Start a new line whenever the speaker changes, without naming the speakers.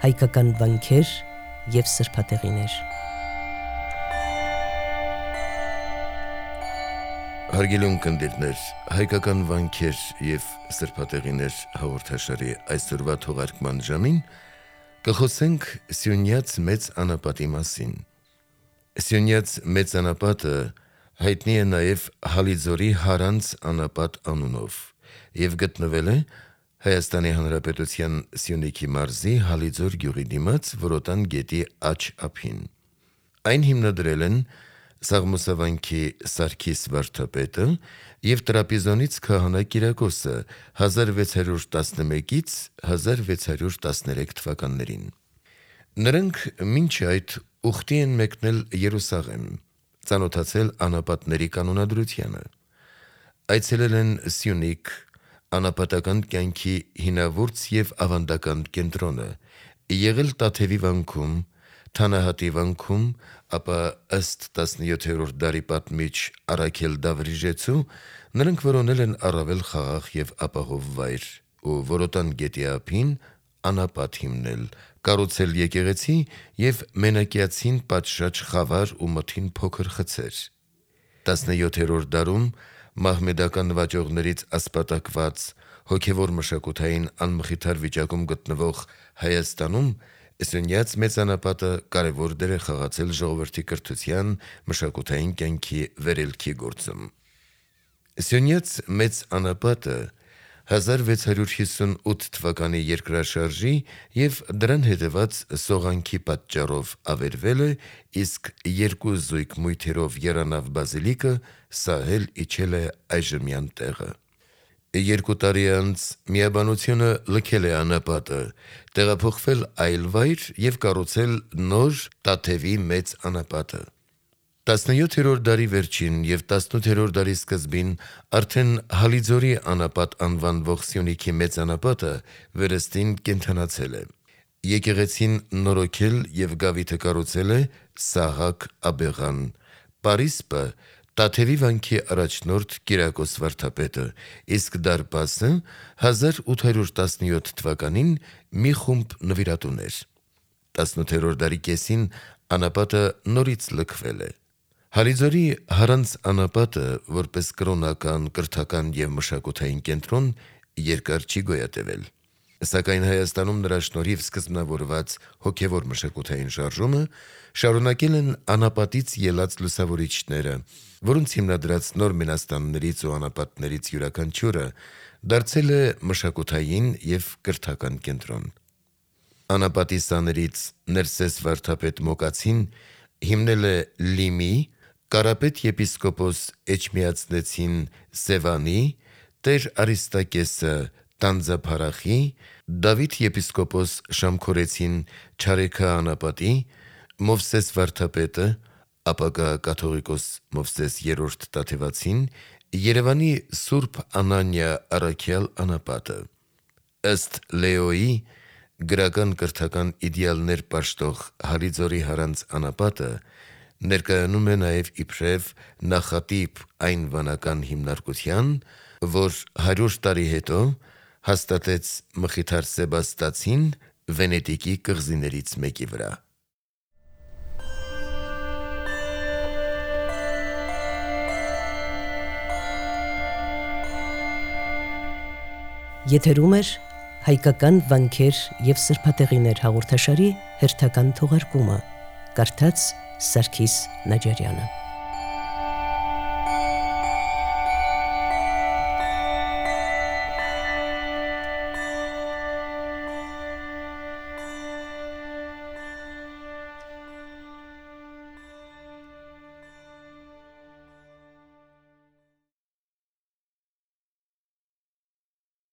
հայկական վանքեր և սրբատեղիներ։
Հարգելի ունկնդիրներ, հայկական վանքեր և սրբատեղիներ հաղորդաշարի այսօրվա թողարկման ժամին կխոսենք Սյունյաց մեծ անապատի մասին։ Սյունյաց մեծ անապատը հայտնի է նաև Հալիձորի Հարանց անապատ անունով և գտնվել է Հայաստանի Հանրապետության Սյունիքի մարզի Հալիձոր գյուղի դիմաց Որոտան գետի աջ ափին։ Այն հիմնադրել են Սաղմոսավանքի Սարգիս վարդապետը և Տրապիզոնից քահանա Կիրակոսը 1611-ից 1613 թվականներին։ Նրանք մինչ այդ ուխտի են մեկնել Երուսաղեմ, ծանոթացել անապատների կանոնադրությանը, այցելել են Սյունիք, անապատական կյանքի հինավուրց և ավանդական կենտրոնը, եղել Տաթևի վանքում, Թանահատի վանքում, ապա ըստ 17-րդ դարի պատմիչ Առաքել Դավրիժեցու նրանք որոնել են առավել խաղաղ և ապահով վայր ու Որոտան գետի ափին անապատ հիմնել, կառուցել եկեղեցի և մենակյացին պատշաճ խավար ու մթին փոքր խցեր։ 17-րդ դարում մահմեդական նվաճողներից ասպատակված հոգևոր մշակութային անմխիթար վիճակում գտնվող Հայաստանում Սյունյաց մեծ անապատը կարևոր դեր է խաղացել ժողովրդի կրթության, մշակութային կյանքի վերելքի գործում։ Սյունյաց մեծ անապատը 1658 թվականի երկրաշարժի և դրան հետևած սողանքի պատճառով ավերվել է, իսկ երկու զույգ մույթերով եռանավ բազիլիկը սահել իջել է այժմյան տեղը։ 2 տարի անց միաբանությունը լքել է անապատը, տեղափոխվել այլ վայր և կառուցել նոր Տաթևի մեծ անապատը։ 17-րդ դարի վերջին և 18-րդ դարի սկզբին արդեն Հալիձորի անապատ անվանվող Սյունիքի մեծ անապատը վերստին կենդանացել է։ Եկեղեցին նորոգել և գավիթը կառուցել է Սահակ Աբեղան, պարիսպը Տաթևի վանքի առաջնորդ Կիրակոս վարդապետը, իսկ դարպասը 1817 թվականին մի խումբ նվիրատուներ։ 18-րդ դարի կեսին անապատը նորից լքվել է։ Հալիձորի Հարանց անապատը որպես կրոնական, կրթական և մշակութային կենտրոն երկար չի գոյատևել, սակայն Հայաստանում նրա շնորհիվ սկզբնավորված հոգևոր մշակութային շարժումը շարունակել են անապատից ելած լուսավորիչները, որոնց հիմնադրած նոր մենաստաններից ու անապատներից յուրաքանչյուրը դարձել է մշակութային և կրթական կենտրոն։ Անապատի սաներից Ներսես վարդապետ Մոկացին հիմնել է Լիմի, Կարապետ եպիսկոպոս Էջմիածնեցին Սևանի, Տեր Արիստակեսը Տանձափարախի, Դավիթ եպիսկոպոս Շամքորեցին Չարեքա անապատի, Մովսես վարդապետը, ապագա կաթողիկոս Մովսես III Տաթևացին, Երևանի Սուրբ Անանիա առաքյալ անապատը։ Ըստ Լեոյի, գրական կրթական իդեալներ պաշտող Հալիձորի Հարանց անապատը ներկայանում է նաև իբրև նախատիպ այն վանական հիմնարկության, որ 100 տարի հետո հաստատեց Մխիթար Սեբաստացին Վենետիկի կղզիներից մեկի վրա։
Եթերում է հայկական վանքեր և սրբատեղիներ հաղորդաշարի հերթական թողարկումը, կարդաց Սարգիս Նաջարյանը։